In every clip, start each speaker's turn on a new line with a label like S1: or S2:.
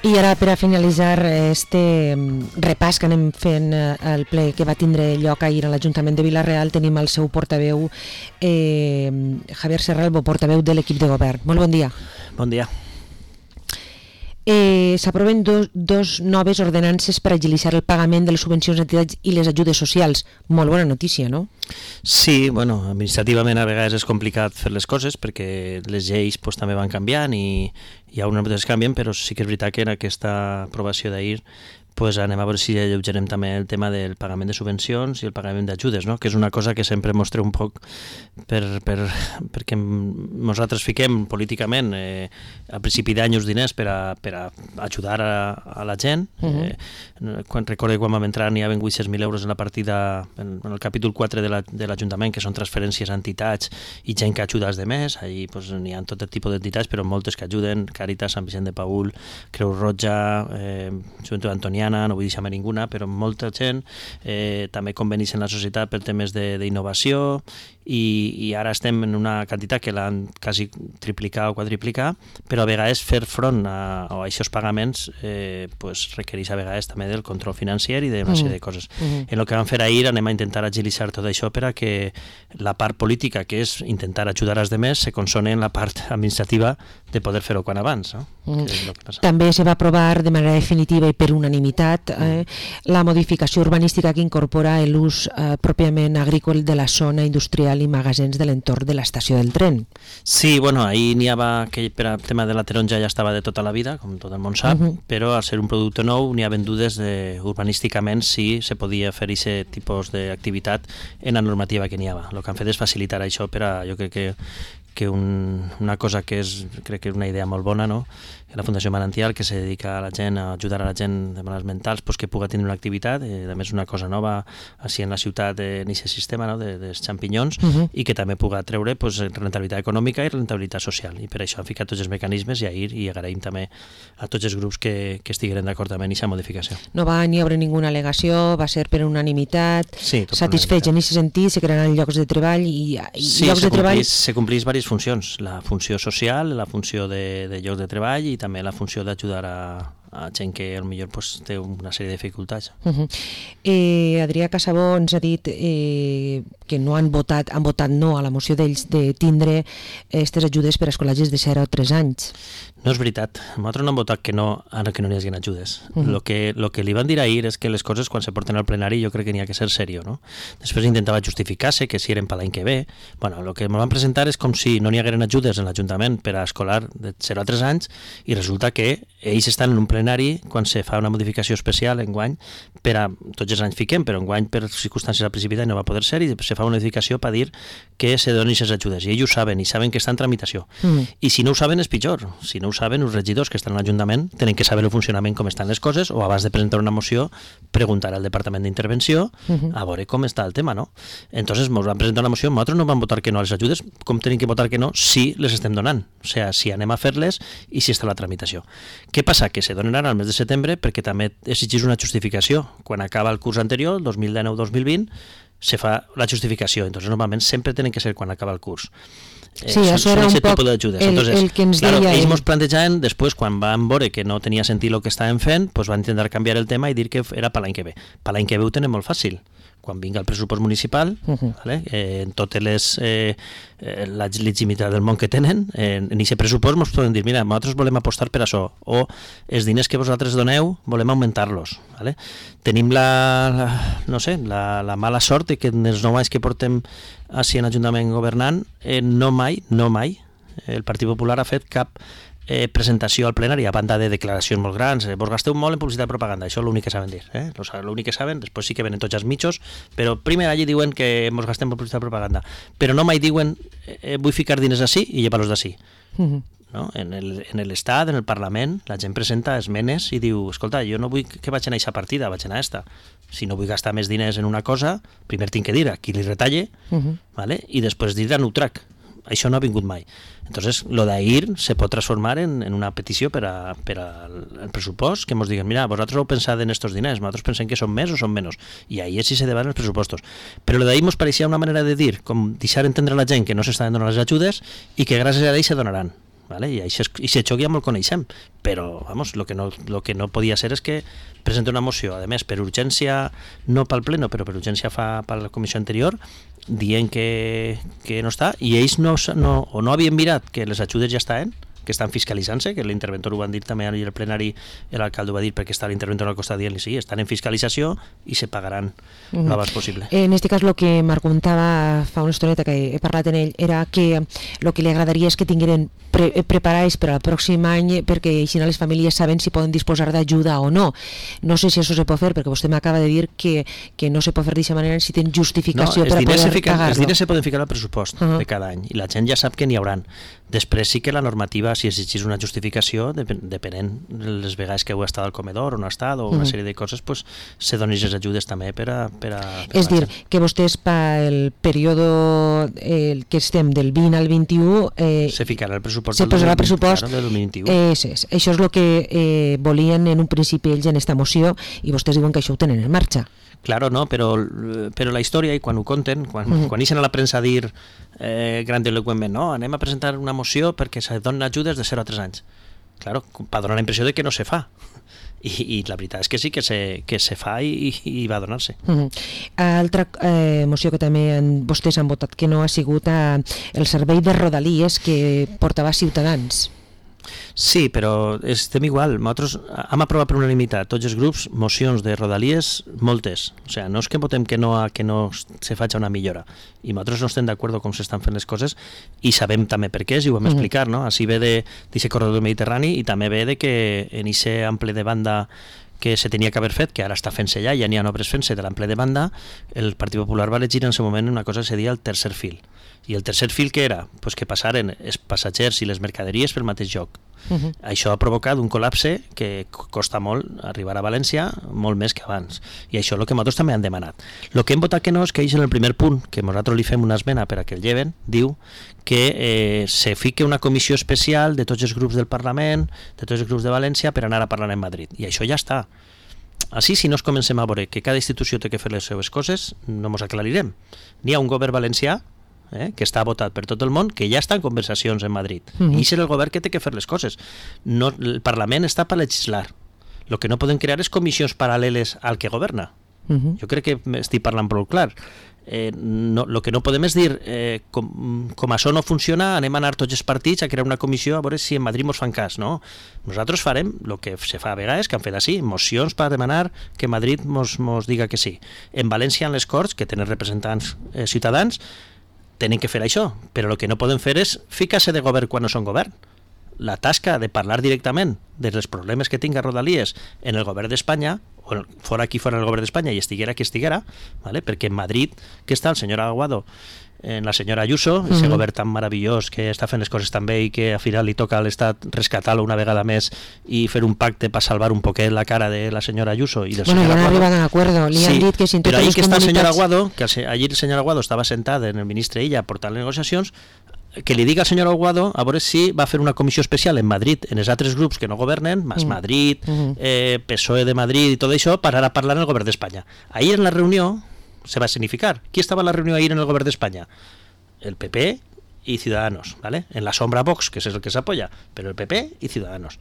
S1: I ara, per a finalitzar este repàs que anem fent el ple que va tindre lloc ahir a l'Ajuntament de Vila-real, tenim el seu portaveu, Javier Serralbo, portaveu de l'equip de govern. Molt bon dia.
S2: Bon dia.
S1: S'aproven dos noves ordenances per agilitzar el pagament de les subvencions d'entitats i les ajudes socials. Molt bona notícia, no?
S2: Sí, bueno, administrativament a vegades és complicat fer les coses perquè les lleis també van canviant i hi ha unes que canvien, però sí que és veritat que en aquesta aprovació d'ahir anem a veure si alleugerem també el tema del pagament de subvencions i el pagament d'ajudes, no? Que és una cosa que sempre mostreu un poc perquè nosaltres fiquem políticament a principi d'any uns diners per a ajudar a la gent. Recordo quan vam entrar n'hi havia 800.000 euros en la partida, en el capítol 4 de l'Ajuntament, que són transferències a entitats i gent que ajuda als demés. Allí n'hi ha tot tipus d'entitats, però moltes que ajuden, Càritas, Sant Vicent de Paül, Creu Roja, Joventut Antoniana, no vull deixar-me ninguna, però molta gent, també convenis en la societat per temes d'innovació, i ara estem en una quantitat que l'han quasi triplicat o quadriplicat, però a vegades fer front a aquests pagaments requereix a vegades també del control financer i d'una sèrie de coses. En el que vam fer ahir anem a intentar agilitzar tot això per a que la part política, que és intentar ajudar als demés, se consone en la part administrativa de poder fer-ho quan abans. No?
S1: També se va aprovar de manera definitiva i per unanimitat la modificació urbanística que incorpora l'ús pròpiament agrícola de la zona industrial i magasins de l'entorn de l'estació del tren.
S2: Sí, bueno, ahir n'hi havia que per al tema de la taronja ja estava de tota la vida, com tot el món sap, però al ser un producte nou n'hi havia dudes urbanísticament si se podia fer aquest tipus d'activitat en la normativa que n'hi havia. El que han fet és facilitar això per a, jo crec que una cosa que crec que és una idea molt bona, no? La Fundació Manantial, que se dedica a la gent, a ajudar a la gent de malalts mentals, que pugui tenir una activitat, a més una cosa nova així en la ciutat en aquest sistema, no? dels xampinyons, i que també pugui treure rentabilitat econòmica i rentabilitat social. I per això han ficat tots els mecanismes i ahir i agraïm també a tots els grups que estigueren d'acord amb aquesta modificació.
S1: No va ni haver ninguna al·legació, va ser per unanimitat, satisfets en aquest sentit, se crearan llocs de treball i llocs de treball...
S2: Se complís diverses funcions, la funció social, la funció de llocs de treball i també la funció d'ajudar a gent que potser té una sèrie de dificultats.
S1: Adrià Casabó ens ha dit que no han votat no a la moció d'ells de tindre aquestes ajudes per a escolatges de 0 a 3 anys.
S2: No és veritat, nosaltres no hem votat que no ara que no n'hi hagi ajudes. Lo que li van dir ahir és que les coses quan se porten al plenari jo crec que n'hi ha que ser serio, no? Després intentava justificar-se que si eren per l'any que ve. Bueno, el que ens van presentar és com si no n'hi hagueren ajudes en l'Ajuntament per a escolar de 0 a 3 anys i resulta que ells estan en un plenari quan se fa una modificació especial enguany per a, tots els anys fiquem, però enguany per circumstàncies al principi d'any no va poder ser i se fa una modificació per dir que se donin aquestes ajudes i ells ho saben i saben que està en tramitació i si no ho saben és pitjor, si no ho saben els regidors que estan a l'Ajuntament tenen que saber el funcionament com estan les coses o abans de presentar una moció preguntar al Departament d'Intervenció a veure com està el tema, no? Entonces ens van presentar una moció, nosaltres no vam votar que no a les ajudes, com tenim que votar que no si les estem donant, o sigui, si anem a fer-les i si està la tramitació. Què passa? Que se donen ara al mes de setembre perquè també exigeix una justificació. Quan acaba el curs anterior, 2019-2020, se fa la justificació. Entonces, normalment sempre tenen que ser quan acaba el curs.
S1: Sí, això era un poc el que ens deia
S2: ells ens plantejaven, després, quan van veure que no tenia sentit el que estàvem fent, van intentar canviar el tema i dir que era per l'any que ve. Per l'any que ve ho tenen molt fàcil. Quan vinga el pressupost municipal, en totes la legitimitat del món que tenen, en aquest pressupost ens poden dir, mira, nosaltres volem apostar per això, o els diners que vosaltres doneu volem augmentar-los. Tenim la mala sort que en els 9 anys que portem així en l'Ajuntament governant, no mai, el Partit Popular ha fet cap presentació al plenari a banda de declaracions molt grans, vos gasteu molt en publicitat i propaganda, això és l'únic que saben dir, l'únic que saben, després sí que venen tots els mitjos, però primer allí diuen que ens gastem en publicitat i propaganda, però no mai diuen vull ficar diners d'ací i llevar-los d'ací. No? En l'Estat, en el Parlament, la gent presenta esmenes i diu, escolta, jo no vull que vaig anar a aquesta partida, vaig anar a aquesta. Si no vull gastar més diners en una cosa, primer tinc que dir a qui li retalle, i després dir a Nutrac. Això no ha vingut mai. Entonces, lo d'ahir se pot transformar en una petició per al pressupost, que ens diguen, mira, vosaltres heu pensat en estos diners, nosaltres pensem que són més o són menys, i ahir sí se debaten els pressupostos. Però lo d'ahir ens pareixia una manera de dir, com deixar entendre a la gent que no s'estaven donant les ajudes i que gràcies a ells se donaran. ¿vale? I aquest xoc ja me'l coneixem, però vamos, lo que no podia ser és que presenta una moció, a més per urgència, no pel pleno, però per urgència fa per la comissió anterior, dient que no està, i ells no havien mirat que les ajudes ja estaven, que estan fiscalitzant-se, que l'interventor ho van dir també ahir al plenari, l'alcalde ho va dir perquè està l'interventor al costat dient-li sí, estan en fiscalització i se pagaran el abans possible.
S1: En aquest cas, el que Marc comentava fa una estoneta que he parlat amb ell era que el que li agradaria és que tingueren preparats per al pròxim any perquè així les famílies saben si poden disposar d'ajuda o no. No sé si això se pot fer, perquè vostè m'acaba de dir que no se pot fer d'aquesta manera si tenen justificació per a poder pagar-lo.
S2: Els diners se poden ficar al pressupost de cada any i la gent ja sap que n'hi hauran. Després sí que la normativa, si exigís una justificació, depenent les vegades que heu estat al comedor o no ha estat, o una sèrie de coses, pues, se donen les ajudes també per a
S1: és dir, que vostès pel període que estem del 20 al 21
S2: se ficarà el pressupost
S1: del
S2: 2021.
S1: Això és el que volien en un principi ells en esta moció i vostès diuen que això ho tenen en marxa.
S2: Claro, no, però la història, i quan ho conten, quan ixen a la premsa a dir grandiloqüentment, no, anem a presentar una moció perquè se donen ajudes de 0 a 3 anys. Claro, per donar la impressió de que no se fa. I la veritat és que sí que se fa i va donar-se.
S1: Altra moció que també vostès han votat que no ha sigut el servei de Rodalies que portava Ciutadans.
S2: Sí, però estem igual. Nosaltres hem aprovat per unanimitat, tots els grups, mocions de Rodalies, moltes. O sigui, no és que votem que no se faci una millora. I nosaltres no estem d'acord com s'estan fent les coses i sabem també per què, i ho vam explicar, no? Així ve d'aquest corredor mediterrani i també ve de que en aquest ample de banda que se tenia que haver fet, que ara està fent-se ja n'hi ha obres fent-se de l'ample de banda, el Partit Popular va elegir en aquest moment una cosa que se deia el tercer fil. I el tercer fil què era? Pues que passaren els passatgers i les mercaderies pel mateix lloc. Això ha provocat un col·lapse que costa molt arribar a València, molt més que abans. I això és el que nosaltres també han demanat. El que hem votat que no és que ells en el primer punt, que nosaltres li fem una esmena per a que el lleven, diu que se fique una comissió especial de tots els grups del Parlament, de tots els grups de València, per anar a parlar en Madrid. I això ja està. Així, si no es comencem a veure que cada institució té que fer les seves coses, no ens aclarirem. N'hi ha un govern valencià que està votat per tot el món, que ja està en conversacions en Madrid. I és el govern que té que fer les coses. No, el Parlament està per legislar. El que no poden crear és comissions paral·leles al que governa. Jo crec que estic parlant prou clar. El que no podem és dir com això no funciona, anem a anar tots els partits a crear una comissió a veure si en Madrid ens fan cas. No? Nosaltres farem el que se fa a vegades, que han fet així, mocions per demanar que Madrid ens diga que sí. En València, en les Corts, que tenen representants ciutadans, tenen que fer això, però el que no poden fer és ficar-se de govern quan no són govern. La tasca de parlar directament dels problemes que tinga Rodalies en el govern d'Espanya, o fora aquí fora el govern d'Espanya i estiguera qui estiguera, ¿vale? Perquè en Madrid, que està el senyor Aguado, la senyora Ayuso, ese govern tan meravellós que està fent les coses tan bé i que al final li toca a l'Estat rescatar-lo una vegada més i fer un pacte per salvar un poquet la cara de la senyora Ayuso i del senyor Aguado.
S1: Ja han arribat a un acuerdo, li han dit que si en totes les comunitats...
S2: Però ahir que està el senyor Aguado, que ahir el senyor Aguado estava sentat en el ministre Illa portant les negociacions, que li diga al senyor Aguado a veure si va fer una comissió especial en Madrid, en els altres grups que no governen, Mas Madrid, PSOE de Madrid i tot això, per anar a parlar en el govern d'Espanya. Ahir en la reunió se va a significar. ¿Quién estaba en la reunión ayer en el gobierno de España? El PP y Ciudadanos, ¿vale? En la sombra Vox, que es el que se apoya, pero el PP y Ciudadanos.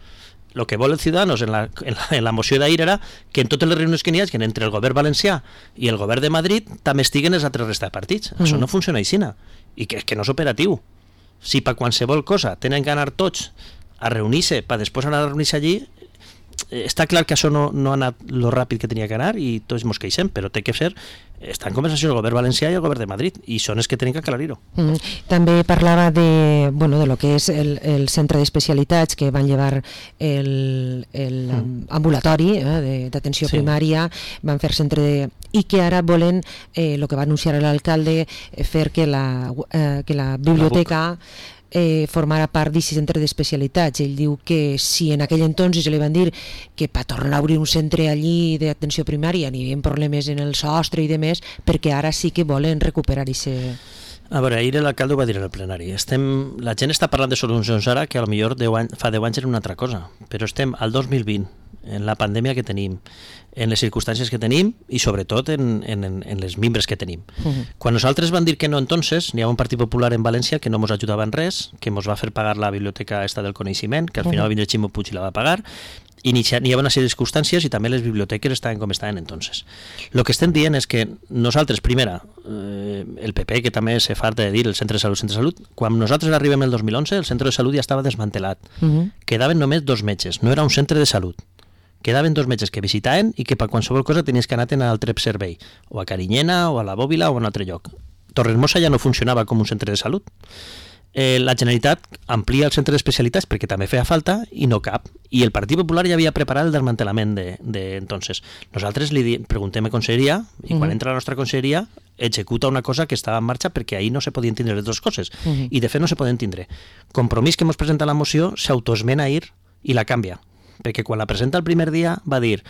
S2: Lo que vol els Ciudadanos en la moció d'ahir era que en totes les reunions que n'hi hagi entre el govern valencià i el govern de Madrid també estiguen els altres resta de partits. Això no funciona així, i que no és operatiu. Si per qualsevol cosa tenen que anar tots a reunir-se per després anar a reunir-se allí, està clar que això no ha anat lo ràpid que tenia que anar i tots ens queixem, però té que ser, està en conversació el govern valencià i el govern de Madrid i són els que tenen que aclarir-ho.
S1: També parlava de lo que és el centre d'especialitats que van llevar l'ambulatori d'atenció primària, van fer centre i que ara volen, el que va anunciar l'alcalde, fer que la biblioteca formara part d'aquest centre d'especialitats. Ell diu que si en aquell entonces li van dir que per tornar a obrir un centre allí d'atenció primària n'hi havia problemes en el sostre i demés, perquè ara sí que volen recuperar aquest...
S2: A veure, ahir l'alcalde ho va dir en el plenari. La gent està parlant de solucions ara que potser fa 10 anys era una altra cosa, però estem al 2020 en la pandèmia que tenim, en les circumstàncies que tenim i sobretot en les membres que tenim. Quan nosaltres van dir que no entonces, n'hi ha un Partit Popular en València que no ens ajudava en res, que ens va fer pagar la biblioteca esta del coneixement, que al final va vindre Ximo Puig i la va pagar, i n'hi havia una sèrie de circumstàncies i també les biblioteques estaven com estaven entonces. El que estem dient és que nosaltres, primera, el PP, que també se farta de dir el centre de salut, quan nosaltres arribem el 2011, el centre de salut ja estava desmantelat. Quedaven només 2 metges, no era un centre de salut. Quedaven 2 metges que visitaven i que per qualsevol cosa tenies que anar a un altre servei, o a Carinyena, o a la Bòbila, o a un altre lloc. Torresmossa ja no funcionava com un centre de salut. La Generalitat amplia el centre d'especialitats perquè també feia falta i no cap. I el Partit Popular ja havia preparat el desmantelament entonces. Nosaltres li preguntem a conselleria i quan entra la nostra conselleria executa una cosa que estava en marxa perquè ahir no se podien tindre les dues coses. I de fet no se poden tindre. Compromís que ens presenta la moció s'autoesmena ahir i la canvia. Perquè quan la presenta el primer dia va dir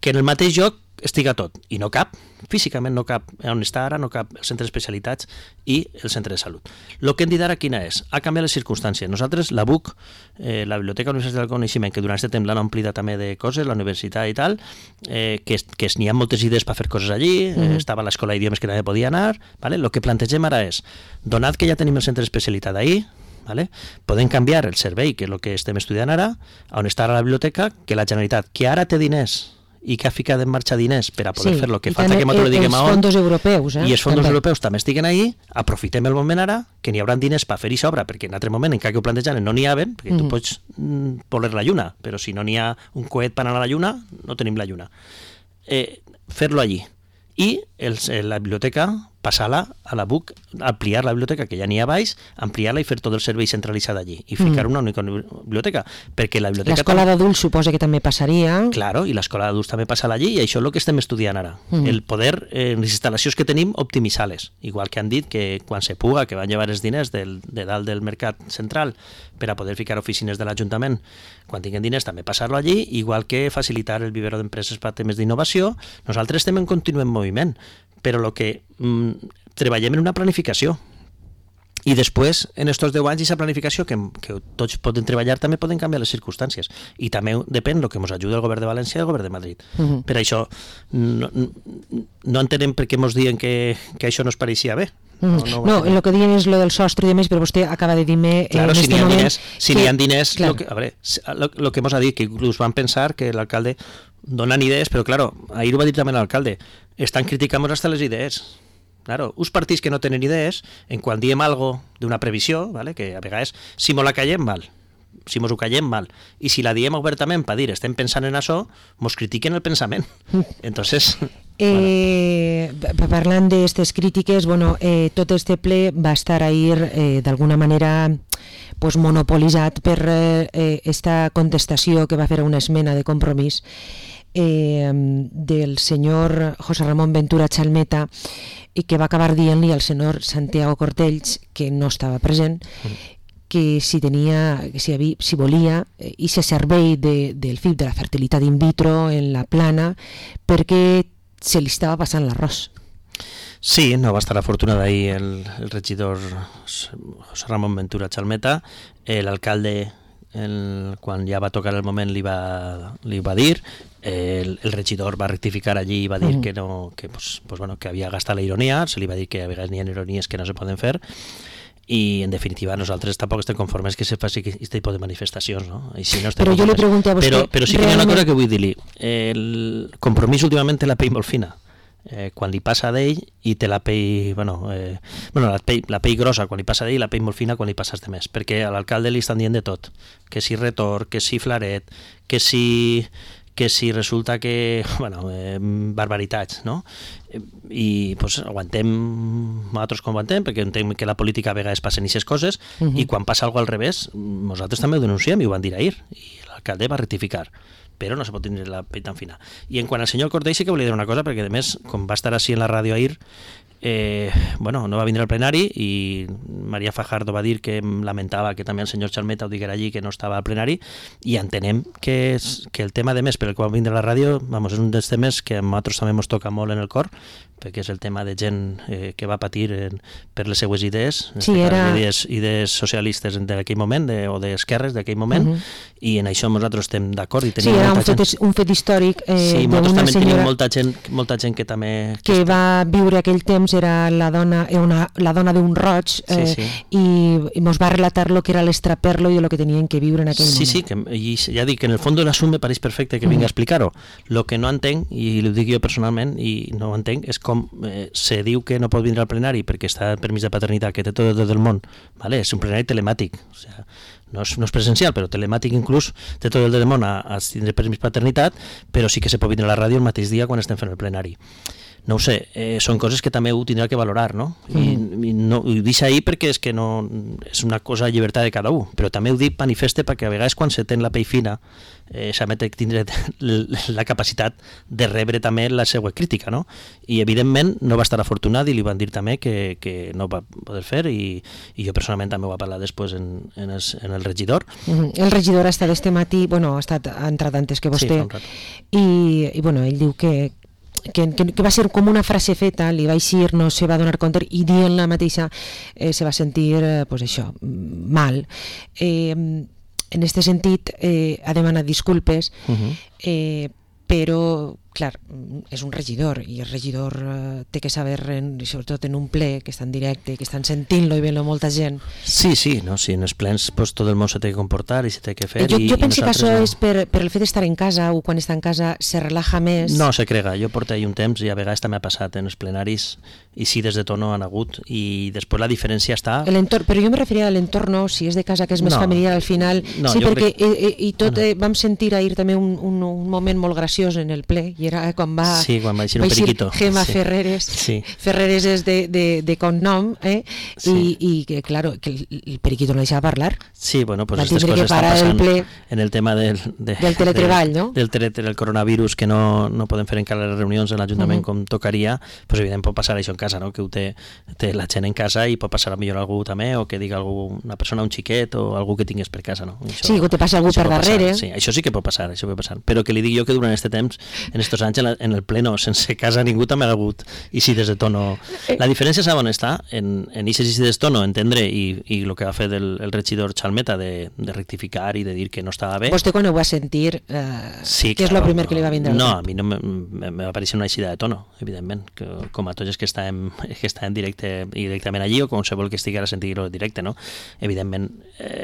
S2: que en el mateix lloc estiga tot, i no cap, físicament no cap, on està ara no cap el centre d'especialitats i el centre de salut. El que hem dit ara quina és? Ha canviat les circumstàncies. Nosaltres, la BUC, la Biblioteca Universitat del Coneixement, que durant aquest temps l'han omplida també de coses, la universitat i tal, que n'hi ha moltes idees per fer coses allí, estava l'escola d'idiomes que també podia anar, vale? El que plantegem ara és, donat que ja tenim el centre d'especialitat ahí, ¿vale? Podem canviar el servei, que és el que estem estudiant ara, on està ara la biblioteca, que la Generalitat, que ara té diners i que ha ficat en marxa diners per a poder fer el que falta que nosaltres diguem a on.
S1: Els fons europeus,
S2: i els fons europeus també estiguen ahí, aprofitem el moment ara, que n'hi haurà diners per fer-hi sobra, perquè en altre moment, encara que ho plantejaven, no n'hi haven, perquè tu pots voler la lluna, però si no n'hi ha un coet per anar a la lluna, no tenim la lluna. Fer-lo allí. I la biblioteca, passar-la a la BUC, ampliar la biblioteca, que ja n'hi ha baix, ampliar-la i fer tot el servei centralitzat allí, i ficar una única biblioteca, perquè la biblioteca...
S1: L'escola d'adults suposa que també passaria.
S2: Claro, i l'escola d'adults també passarà allí, i això és el que estem estudiant ara. El poder, les instal·lacions que tenim, optimitzar-les. Igual que han dit que quan se puga, que van llevar els diners de dalt del mercat central per a poder ficar oficines de l'Ajuntament, quan tinguin diners també passar-lo allí, igual que facilitar el vivero d'empreses per temes d'innovació. Nosaltres estem en continu moviment, però el que treballem en una planificació. I després, en aquests 10 anys, aquesta planificació que tots poden treballar, també poden canviar les circumstàncies. I també depèn del que ens ajuda el govern de València i el govern de Madrid. Per això, no entenem per què ens diuen que això no es pareixia bé.
S1: No, el que diuen és lo del sostre i demés, però vostè acaba de dir-me
S2: claro, si n'hi ha diners, el que ens ha dit, que inclús van pensar que l'alcalde donen idees, però claro, ahir ho va dir també l'alcalde, estan criticant hasta les idees. Claro, uns partits que no tenen idees, en quan diem algo d'una previsió, ¿vale? Que a vegades, si mos la callem mal, si mos ho callem mal, i si la diem obertament per dir estem pensant en això, mos critiquen el pensament. Entonces...
S1: Parlant d'aquestes crítiques, tot este ple va estar ahir d'alguna manera monopolitzat per esta contestació que va fer una esmena de compromís del senyor José Ramón Ventura Chalmeta, i que va acabar dient-li al senyor Santiago Cortells, que no estava present, que si volia i se servei del FIP de la fertilitat in vitro en la plana perquè se li estava passant l'arròs.
S2: Sí, no va estar afortunat ahir el regidor José Ramón Ventura Chalmeta. L'alcalde, quan ja va tocar el moment, li va dir. El regidor va rectificar allí i va dir que havia gastat la ironia. Se li va dir que a vegades n'hi ha ironies que no se poden fer. I en definitiva nosaltres tampoc estem conformes que se faci aquest tipus de manifestacions, no? I si no
S1: però jo li pregunto a vostè...
S2: Però sí que hi ha una cosa que vull dir-li. El compromís últimament té la pell molt fina. Quan li passa d'ell i té la pell... la pell grossa quan li passa d'ell i la pell molt fina quan li passes de més. Perquè a l'alcalde li estan dient de tot. Que si retorn, que si flaret, que si resulta que... barbaritats, no? I aguantem nosaltres com aguantem, perquè entenem que la política a vegades passen aquestes coses, i quan passa alguna cosa al revés, nosaltres també ho denunciem i ho van dir ahir, i l'alcalde va rectificar, però no se pot tenir la pell tan fina. I en quant al senyor Cortell sí que volia dir una cosa, perquè a més, com va estar així en la ràdio ahir, no va vindre al plenari i María Fajardo va dir que lamentava que també el senyor Chalmeta ho diguera allí, que no estava al plenari, i entenem que el tema de més per el qual va vindre a la ràdio és un dels temes que a nosaltres també ens toca molt en el cor, perquè és el tema de gent que va patir per les seues idees, idees socialistes d'aquell moment, o d'esquerres d'aquell moment, i en això nosaltres estem d'acord.
S1: Sí, era un fet històric
S2: nosaltres també tenim molta gent que també...
S1: Que va viure aquell temps, era la dona d'un roig, i mos va relatar lo que era l'estraperlo i lo que tenien que viure en aquell moment.
S2: Sí, i ja dic, en el fons de l'assum me pareix perfecte que vinga a explicar-ho. Lo que no entenc, i ho dic jo personalment, i no ho entenc, és com se diu que no pot vindre al plenari perquè està en permís de paternitat, que té tot el món. Vale? És un plenari telemàtic, o sigui, no és presencial, però telemàtic inclús, té tot el del món a tindre permís de paternitat, però sí que se pot vindre a la ràdio el mateix dia quan estem fent el plenari. No ho sé, són coses que també ho tindrà que valorar, no? I ho dic ahir perquè és que no és una cosa de llibertat de cada un, però també ho dic manifeste perquè a vegades quan se ten la pell fina s'ha de tindre la capacitat de rebre també la seva crítica, no? I evidentment no va estar afortunat i li van dir també que no va poder fer, i jo personalment també ho va parlar després en el regidor.
S1: El regidor ha estat este matí, ha entrat antes que vostè, i ell diu que va ser com una frase feta, li va eixir, no se va donar compte, i dient la mateixa se va sentir mal. En aquest sentit ha demanat disculpes, però clar, és un regidor, i el regidor té que saber, sobretot en un ple que està en directe, que estan sentint-lo i veient-lo molta gent.
S2: Sí, en els plens tot el món se té que comportar i se té que fer.
S1: Jo penso que això és per el fet d'estar en casa, o quan està en casa se relaja més.
S2: No, se crega, jo porto ahir un temps i a vegades també ha passat en els plenaris, i sí, des de tono han hagut, i després la diferència està...
S1: Però jo me referia a l'entorn, si és de casa que és més familiar al final, sí, perquè vam sentir ahir també un moment molt graciós en el ple, i era quan va
S2: eixir un periquito.
S1: Gemma Ferreres. Ferreres és de cognom, i que, claro, que el periquito no deixava parlar.
S2: Sí, bueno, pues aquestes coses estan passant en el tema del
S1: teletreball, no?
S2: Del coronavirus, que no poden fer encara les reunions en l'Ajuntament com tocaria, pues evidentment pot passar això en casa, no? Que ho té la gent en casa, i pot passar millor algú també, o que diga una persona, un xiquet, o algú que tingués per casa, no?
S1: Sí, o te passa algú per darrere.
S2: Sí, això sí que pot passar, però que li dic jo que durant aquest temps, en estos anys, en el pleno, sense casa ningú també ha hagut incides de tono. La diferència saben està en incides de tono, entendre, i el que va fer el regidor Chalmeta de rectificar i de dir que no estava bé.
S1: Vostè quan ho va sentir, què és el primer que li va vindre?
S2: No, a mi no me va aparèixer una eixida de tono, evidentment, com a tots els que estàvem directament allí, o qualsevol que estigui a sentir-ho directe, no? Evidentment,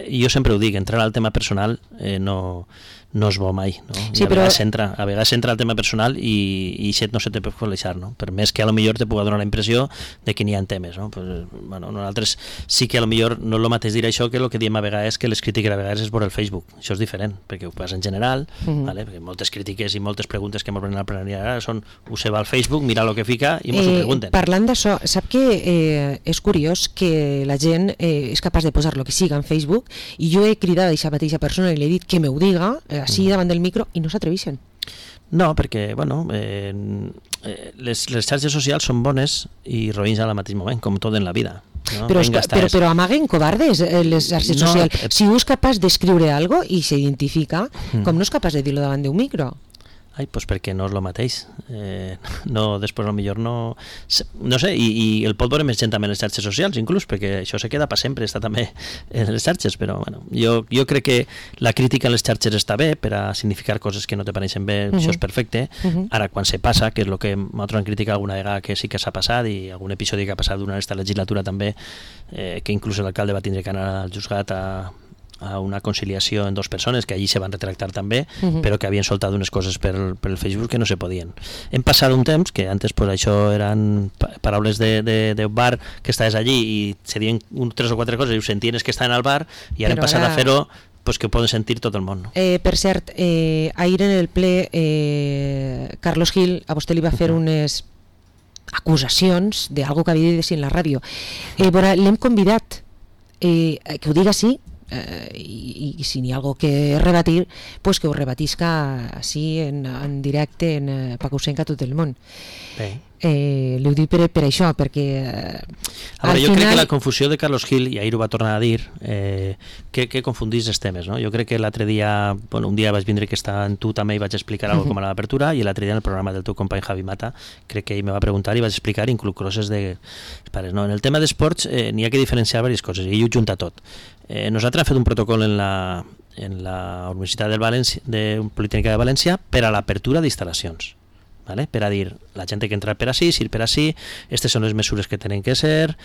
S2: jo sempre ho dic, entrar al tema personal no és bo mai, no? Sí, a vegades entra al tema personal i no se te pot qualificar, no? Per més que a lo millor te pugui donar la impressió de que n'hi ha temes, no? Pues, bueno, nosaltres sí que a lo millor no és el mateix dir això que el que diem a vegades que les crítiques a vegades és per el Facebook. Això és diferent, perquè ho passa en general, ¿vale? Perquè moltes crítiques i moltes preguntes que ens venen al plenari ara són ho se va al Facebook, mira el que fica i ens ho pregunten.
S1: Parlant d'això, sap que és curiós que la gent és capaç de posar el que siga en Facebook, i jo he cridat a aquesta mateixa persona i li he dit que m'ho diga així davant del micro, i no s'atreveixen.
S2: No, perquè, bueno, les xarxes socials són bones i roïns al mateix moment, com tot en la vida. No?
S1: Però amaguen covardes les xarxes socials. Si un és capaç d'escriure alguna cosa i s'identifica, com no és capaç de dir-lo davant d'un micro?
S2: Ai, doncs perquè no és el mateix. Després potser no sé, i el pot veure més gent també en les xarxes socials, inclús, perquè això se queda per sempre, està també en les xarxes, però bueno, jo crec que la crítica a les xarxes està bé per a significar coses que no te pareixen bé, això és perfecte. Ara, quan se passa, que és el que nosaltres hem criticat alguna vegada que sí que s'ha passat, i algun episodi que ha passat durant aquesta legislatura també, que inclús l'alcalde va tindre que anar al juzgat a una conciliació en dos persones que allí se van retractar també, però que havien soltat unes coses per el Facebook que no se podien. Hem passat un temps que antes pues, això eren paraules de bar que estaves allí i se diuen 3 o 4 coses i ho sentien que estaven al bar, i ara hem passat a fer-ho pues, que ho poden sentir tot el món. No?
S1: Per cert, ahir en el ple Carlos Gil a vostè li va fer unes acusacions d'algo que havia de dir en la ràdio. L'hem convidat que ho diga sí, i si n'hi ha algo que rebatir, pues que ho rebatisca així en directe, perquè ho sent a tot el món. Li ho dic per això, perquè
S2: jo crec que la confusió de Carlos Gil, i ahir ho va tornar a dir, que confundís els temes, no? Jo crec que l'altre dia, un dia vaig vindre que estava en tu també i vaig explicar alguna cosa com a l'apertura, i l'altre dia en el programa del teu company Javi Mata, crec que ell me va preguntar i vaig explicar inclús coses de pares. No? En el tema d'esports n'hi ha que diferenciar diverses coses, i ell ho junta tot. Nosaltres hem fet un protocol en la Universitat de Politécnica de València per a l'apertura d'instal·lacions. ¿Vale? Per a dir, la gent que entra per ací, si per ací, aquestes són les mesures que tenen que ser.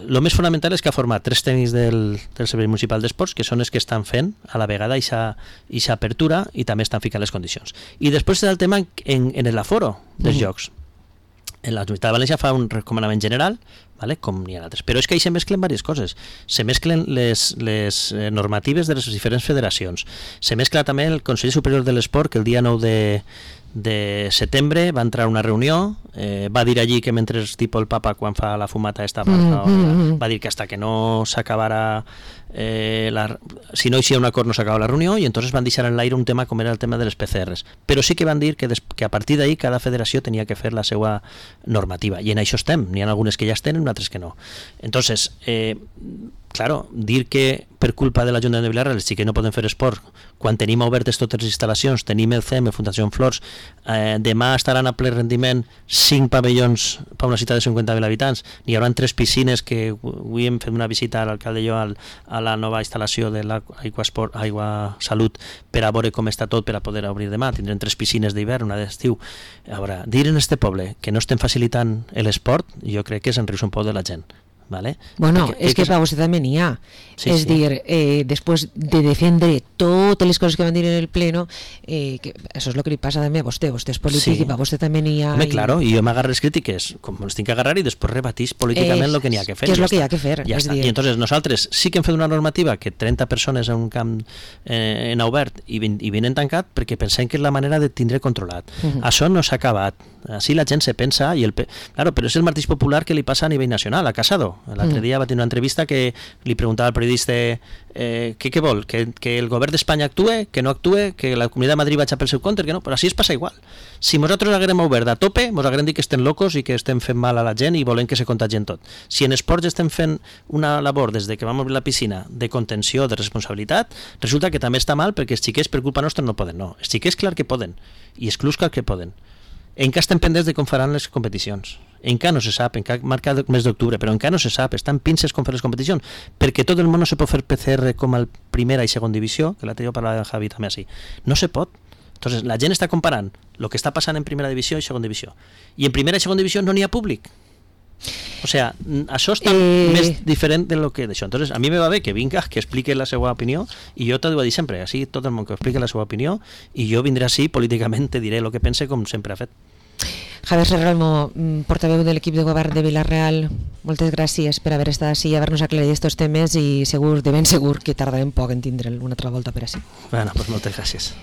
S2: Lo més fonamental és que ha format 3 tècnics del Servei Municipal d'Esports, que són els que estan fent a la vegada aquesta apertura i també estan ficant les condicions. I després és el tema en l'aforo dels jocs. La Universitat de València fa un recomanament general, ¿vale? Com n'hi ha altres. Però és que ahí se mesclen diverses coses. Se mesclen les normatives de les diferents federacions. Se mescla també el Consell Superior de l'Esport, que el dia 9 de setembre va entrar a una reunió, va dir allí que mentre tipo el papa quan fa la fumata va dir que hasta que no s'acabara si no hi havia un acord no s'acaba la reunió, i entonces van deixar en l'aire un tema com era el tema de les PCRs, però sí que van dir que a partir d'ahí cada federació tenia que fer la seva normativa, i en això estem, n'hi ha algunes que ja es tenen, altres que no. Entonces claro, dir que per culpa de l'Ajuntament de Vila-real sí que no poden fer esport quan tenim obertes totes les instal·lacions, tenim el CEM, Fundació Flors, demà estaran a ple rendiment 5 pavellons per una ciutat de 50.000 habitants, n'hi haurà 3 piscines, que avui hem fet una visita a l'alcalde i jo a la nova instal·lació de l'Aigua Salut per a veure com està tot per a poder obrir demà. Tindrem 3 piscines d'hivern, una d'estiu. A veure, dir en este poble que no estem facilitant l'esport, jo crec que és enriure un poc de la gent. ¿Vale?
S1: Bueno, és que per vostè també n'hi ha. És dir, després de defendre totes les coses que van dir en el pleno, que això és el que li passa també a vostè és polític, i per vostè també n'hi ha.
S2: Home, claro, i jo m'agarro les crítiques com les tinc que agarrar, i després rebatís políticament el que n'hi ha que fer.
S1: Que és el que hi ha que fer.
S2: Ja està. I entonces nosaltres sí que hem fet una normativa que 30 persones en un camp en obert i 20 en tancat, perquè pensem que és la manera de tindre controlat. Això no s'ha acabat. Així la gent se pensa, claro, però és el mateix popular que li passa a nivell nacional, a Casado. L'altre dia va tenir una entrevista que li preguntava al periodista què vol, que el govern d'Espanya actue, que no actue, que la Comunitat de Madrid vagi pel seu compte, que no, però així es passa igual. Si nosaltres haguem obert a tope, ens haguem dit que estem locos i que estem fent mal a la gent i volem que se contagien tot. Si en esports estem fent una labor des que vam obrir la piscina de contenció, de responsabilitat, resulta que també està mal perquè els xiquets per culpa nostra no poden. No, els xiquets clar que poden, i els clubs clar que poden. Encara estem pendents de com faran les competicions. Encara no se sap, encara marca el mes d'octubre, però encara no se sap, estan pinces com fer les competicions, perquè tot el món no se pot fer PCR com a primera i segona divisió, que l'altre dia parlava amb Javi també així. No se pot. Entonces, la gent està comparant el que està passant en primera divisió i segona divisió. I en primera i segona divisió no n'hi ha públic. O sea, això està més diferent de lo que d'això. Entonces, a mi me va bé que vinga, que explique la seva opinió, i jo t'ho dic sempre, així tot el món que explique la seva opinió, i jo vindré així, políticament te diré el que pense com sempre ha fet.
S1: Javier Serralmo, portaveu de l'equip de govern de Vila-real, moltes gràcies per haver estat així i haver-nos aclarit aquests temes, i de ben segur que tardarem poc en tindre'l una altra volta per així.
S2: Bueno, pues moltes gràcies.